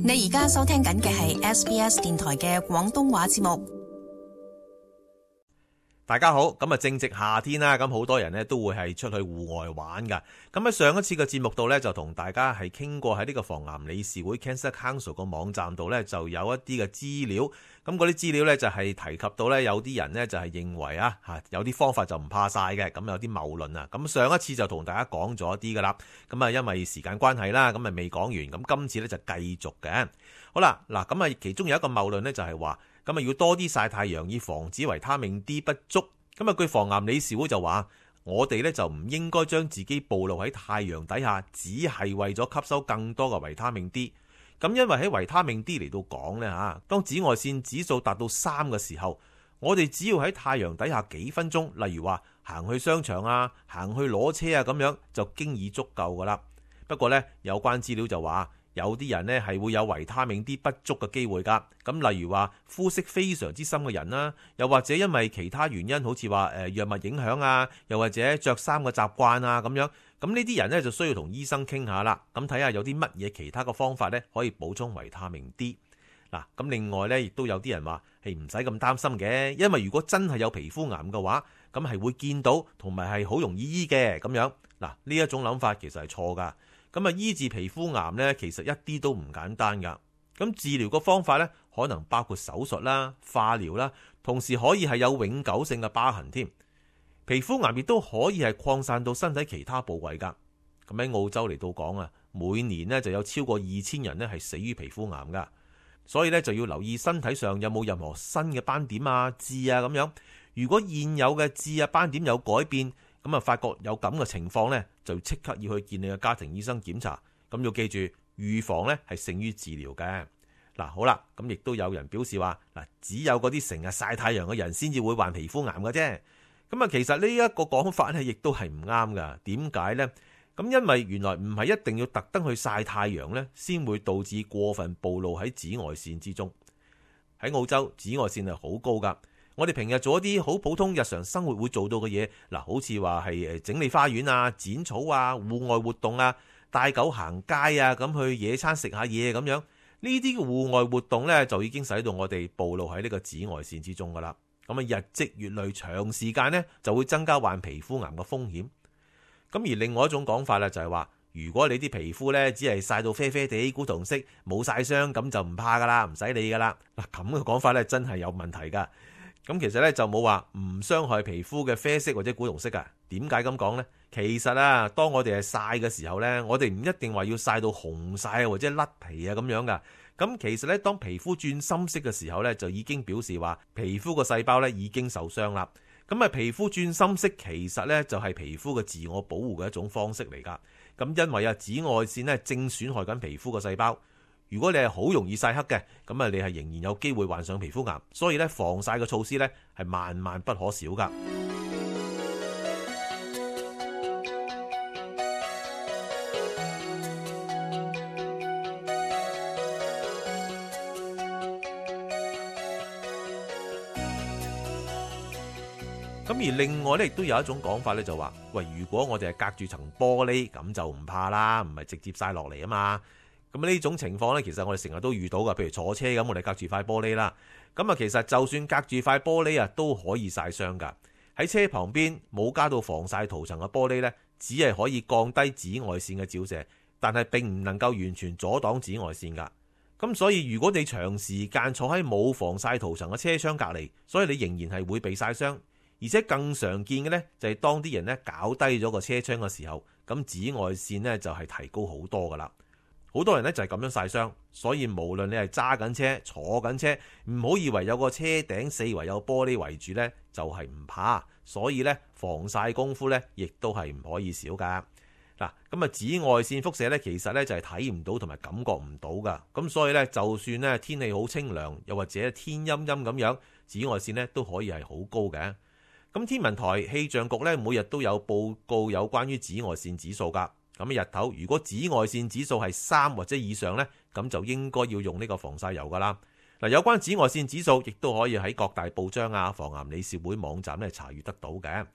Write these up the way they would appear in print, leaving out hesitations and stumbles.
你而家收聽緊嘅係 SBS 電台嘅廣東話節目。大家好，咁啊正值夏天啦，咁好多人呢都會係出去戶外玩噶。咁喺上一次嘅節目度呢，就同大家係傾過喺呢個防癌理事會 Cancer Council 個網站度呢，就有一啲嘅資料。咁嗰啲資料呢，就係提及到呢，有啲人呢就係認為有啲方法就唔怕晒嘅，咁有啲謬論啊。咁上一次就同大家講咗一啲噶啦，咁啊因為時間關係啦，咁啊未講完，咁今次呢就繼續嘅。好啦，嗱咁啊其中有一個謬論呢，就係話，咁啊要多啲曬太陽以防止維他命 D 不足。咁啊據防癌理事會就話，我哋呢就唔應該將自己暴露喺太陽底下，只係為咗吸收更多嘅維他命 D。咁因為喺維他命 D 嚟到講呢，當紫外線指數達到3嘅時候，我哋只要喺太陽底下幾分鐘，例如話行去商場啊，行去攞車啊咁樣，就經已足夠噶啦。不過呢，有關資料就話，有啲人呢係會有維他命 D 不足嘅機會㗎。咁例如話膚色非常之深嘅人啦，又或者因為其他原因，好似話藥物影響啊，又或者着衫嘅習慣啊咁樣。咁呢啲人呢就需要同醫生傾下啦。咁睇下有啲乜嘢其他嘅方法呢可以補充維他命 D。嗱，咁另外呢亦都有啲人話係唔使咁擔心嘅，因為如果真係有皮膚癌嘅話，咁係會見到同埋係好容易醫嘅咁樣。嗱，呢一種諗法其實係錯㗎。咁啊，醫治皮膚癌呢，其實一啲都唔簡單噶。咁治療個方法呢，可能包括手術啦、化療啦，同時可以係有永久性嘅疤痕添。皮膚癌亦都可以係擴散到身體其他部位噶。咁喺澳洲嚟到講啊，每年呢就有超過2000人呢係死於皮膚癌噶。所以呢，就要留意身體上有冇任何新嘅斑點啊、痣啊咁樣。如果現有嘅痣啊、斑點有改變，咁啊，發覺有咁嘅情況呢，就即刻要去見你嘅家庭醫生檢查。咁要記住，預防呢係勝於治療嘅。嗱，好啦，咁亦都有人表示話，嗱，只有嗰啲成日曬太陽嘅人先至會患皮膚癌嘅啫。咁啊，其實呢一個講法呢，亦都係唔啱噶。點解呢？咁因為原來唔係一定要特登去曬太陽呢，先會導致過分暴露喺紫外線之中。喺澳洲，紫外線係好高噶。我哋平日做一啲好普通日常生活會做到嘅嘢，嗱，好似話係整理花園啊、剪草啊、戶外活動啊、帶狗行街啊，咁去野餐食下嘢咁樣，呢啲戶外活動呢，就已經使到我哋暴露喺呢個紫外線之中噶啦。咁啊，日積月累，長時間呢，就會增加患皮膚癌嘅風險。咁而另外一種講法咧，就係話，如果你啲皮膚呢，只係曬到啡啡地、古銅色，冇曬傷，咁就唔怕噶啦，唔使理噶啦。嗱，咁嘅講法呢，真係有問題噶。咁其實咧就冇話唔傷害皮膚嘅啡色或者古銅色噶。點解咁講呢？其實啊，當我哋係曬嘅時候呢，我哋唔一定話要曬到紅曬或者甩皮啊咁樣噶。咁其實咧，當皮膚轉深色嘅時候呢，就已經表示話皮膚個細胞呢已經受傷啦。咁啊，皮膚轉深色其實呢就係皮膚嘅自我保護嘅一種方式嚟噶。咁因為啊，紫外線呢正損害緊皮膚個細胞。如果你係好容易曬黑嘅，咁啊你係仍然有機會患上皮膚癌，所以咧防曬嘅措施咧係萬萬不可少噶。咁而另外咧亦都有一種講法咧，就話喂，如果我哋係隔住層玻璃，咁就唔怕啦，唔係直接曬落嚟啊嘛。咁呢種情況呢，其實我哋成日都遇到噶，譬如坐車咁，我哋隔住塊玻璃啦。咁啊，其實就算隔住塊玻璃啊，都可以曬傷噶。喺車旁邊冇加到防曬塗層嘅玻璃呢，只係可以降低紫外線嘅照射，但係並唔能夠完全阻擋紫外線噶。咁所以如果你長時間坐喺冇防曬塗層嘅車窗隔離，所以你仍然係會被曬傷。而且更常見嘅呢，就係當啲人呢搞低咗個車窗嘅時候，咁紫外線呢就係提高好多噶啦。好多人呢就係咁樣曬傷，所以無論你係揸緊車、坐緊車，唔好以為有個車頂四圍有玻璃圍住呢，就係唔怕。所以呢，防曬功夫呢亦都係唔可以少噶。嗱，咁啊紫外線輻射呢，其實呢就係睇唔到同埋感覺唔到噶。咁所以呢，就算呢天氣好清涼，又或者天陰陰咁樣，紫外線呢都可以係好高嘅。咁天文台氣象局呢，每日都有報告有關於紫外線指數噶。咁日頭如果紫外線指數係3或者以上呢，咁就應該要用呢個防曬油噶啦。嗱，有關紫外線指數亦都可以喺各大報章啊、防癌理事會網站咧查閱得到嘅。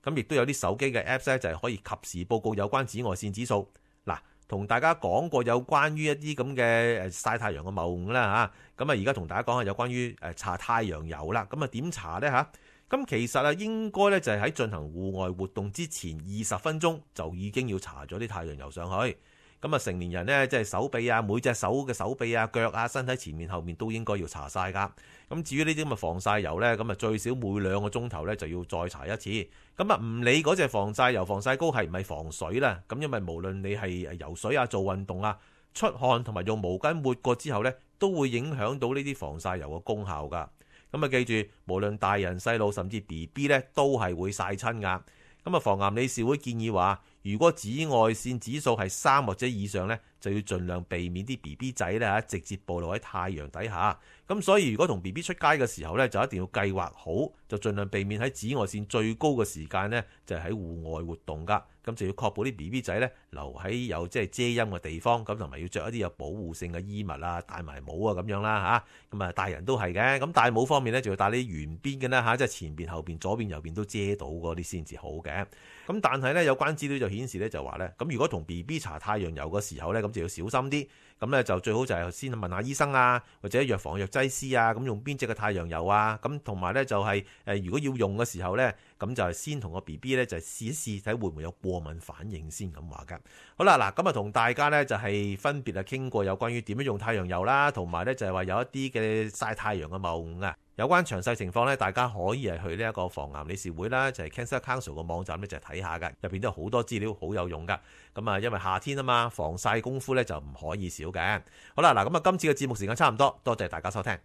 咁亦都有啲手機嘅 Apps 咧，就係可以及時報告有關紫外線指數。嗱，同大家講過有關於一啲咁嘅曬太陽嘅謬誤啦嚇，咁啊而家同大家講下有關於搽太陽油啦，咁啊點搽呢嚇？咁其實啊應該咧就係喺進行戶外活動之前20分鐘就已經要搽咗啲太陽油上去。咁啊成年人呢，即係手臂啊，每隻手嘅手臂啊、腳啊、身體前面後面都應該要搽晒㗎。咁至於呢啲咁嘅防曬油呢，咁啊最少每2個鐘頭呢就要再搽一次。咁啊唔理嗰隻防曬油、防曬膏係唔係防水啦，咁因為無論你係游水啊、做運動啊、出汗同埋用毛巾抹過之後呢，都會影響到呢啲防曬油嘅功效㗎。咁啊記住，無論大人細路甚至 BB 呢，都係會曬親㗎。咁啊防癌理事會建議話，如果紫外線指數係3或者以上呢，就要盡量避免啲 BB 仔咧直接暴露喺太陽底下。咁所以如果同 BB 出街嘅時候呢，就一定要計劃好，就盡量避免喺紫外線最高嘅時間呢，就係喺戶外活動㗎。咁就要確保啲 BB 仔呢留喺有即係遮陰嘅地方，咁同埋要着一啲有保護性嘅衣物啊，戴埋帽啊咁樣啦嚇。咁啊大人都係嘅，咁戴帽方面呢，就要戴啲圓邊嘅啦嚇，即係前邊、後邊、左邊、右邊都遮到嗰啲先至好嘅。咁但係呢，有關資料就顯示呢，就話呢，咁如果同 BB 搽太陽油嘅時候呢，咁就要小心啲。咁呢，就最好就係先問下醫生啊，或者藥房藥劑師啊，咁用邊隻嘅太陽油啊。咁同埋呢，就係如果要用嘅時候呢，咁就係先同個 BB 呢，就試一試睇會唔會有過敏反應先咁話㗎。好啦，嗱咁啊同大家呢，就係分別傾過有關於點樣用太陽油啦，同埋呢，就係話有一啲嘅曬太陽嘅謬誤啊。有關詳細情況呢，大家可以係去呢一個防癌理事會啦，就係 Cancer Council 個網站呢，就係睇下㗎，入邊都有好多資料，好有用㗎。咁啊，因為夏天啊嘛，防曬功夫呢就唔可以少嘅。好啦，嗱咁啊，今次嘅節目時間差唔多，多謝大家收聽。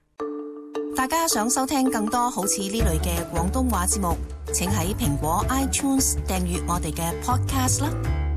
大家想收聽更多好似呢類嘅廣東話節目，請喺蘋果 iTunes 訂閱我哋嘅 Podcast 啦。